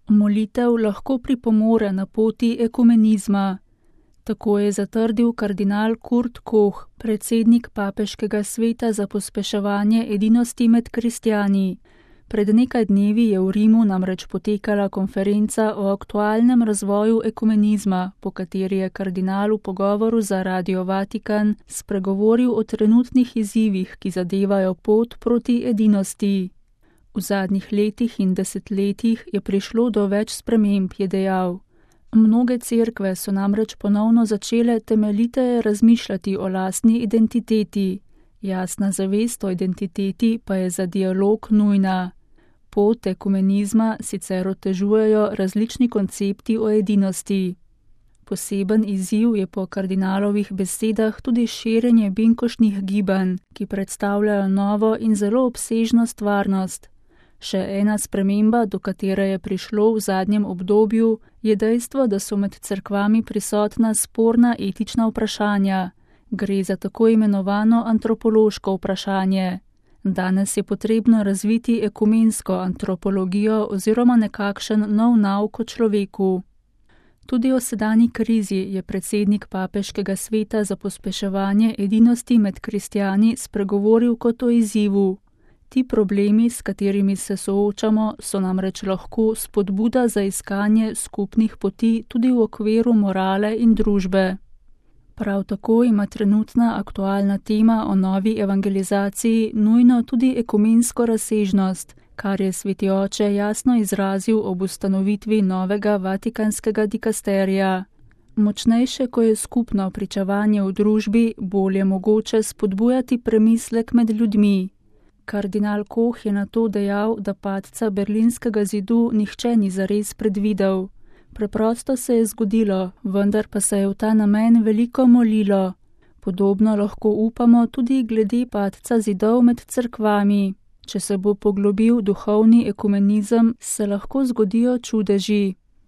Molitev lahko pripomore na poti ekumenizma. Tako je zatrdil kardinal Kurt Koch, predsednik Papeškega sveta za pospeševanje edinosti med kristjani. Pred nekaj dnevi je v Rimu namreč potekala konferenca o aktualnem razvoju ekumenizma, po kateri je kardinal v pogovoru za Radio Vatikan spregovoril o trenutnih izzivih, ki zadevajo pot proti edinosti. V zadnjih letih in desetletjih je prišlo do več sprememb, je dejal. Mnoge cerkve so namreč ponovno začele temeljiteje razmišljati o lastni identiteti. Jasna zavest o identiteti pa je za dialog nujna. Pot ekumenizma sicer otežujejo različni koncepti o edinosti. Poseben izziv je po kardinalovih besedah tudi širjenje binkoštnih gibanj, ki predstavljajo novo in zelo obsežno stvarnost. Še ena sprememba, do katere je prišlo v zadnjem obdobju, je dejstvo, da so med cerkvami prisotna sporna etična vprašanja. Gre za tako imenovano antropološko vprašanje. Danes je potrebno razviti ekumensko antropologijo oziroma nekakšen nov nauk o človeku. Tudi o sedanji krizi je predsednik Papeškega sveta za pospeševanje edinosti med kristjani spregovoril kot o izzivu. Ti problemi, s katerimi se soočamo, so namreč lahko spodbuda za iskanje skupnih poti tudi v okviru morale in družbe. Prav tako ima trenutna aktualna tema o novi evangelizaciji nujno tudi ekumensko razsežnost, kar je sveti oče jasno izrazil ob ustanovitvi novega vatikanskega dikasterija. Močnejše, ko je skupno pričevanje v družbi, bolje mogoče spodbujati premislek med ljudmi. Kardinal Koch je nato dejal, da padca berlinskega zidu nihče ni zares predvidel. Preprosto se je zgodilo, vendar pa se je v ta namen veliko molilo. Podobno lahko upamo tudi glede padca zidov med cerkvami. Če se bo poglobil duhovni ekumenizem, se lahko zgodijo čudeži.